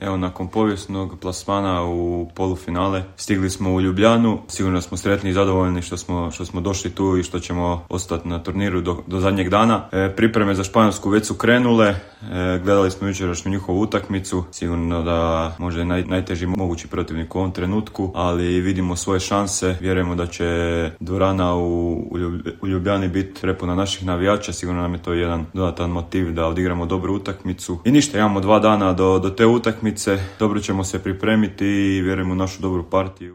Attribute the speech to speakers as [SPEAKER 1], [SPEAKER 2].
[SPEAKER 1] Evo, nakon povijesnog plasmana u polufinale stigli smo u Ljubljanu. Sigurno smo sretni i zadovoljni što smo došli tu i što ćemo ostati na turniru do zadnjeg dana. Pripreme za Španjolsku već su krenule. Gledali smo jučerašnju njihovu utakmicu. Sigurno da može najteži mogući protivnik u ovom trenutku, ali vidimo svoje šanse. Vjerujemo da će dvorana u Ljubljani biti prepuna naših navijača. Sigurno nam je to jedan dodatan motiv da odigramo dobru utakmicu. I ništa, imamo 2 dana do te utakmice. Dobro ćemo se pripremiti i vjerujemo u našu dobru partiju.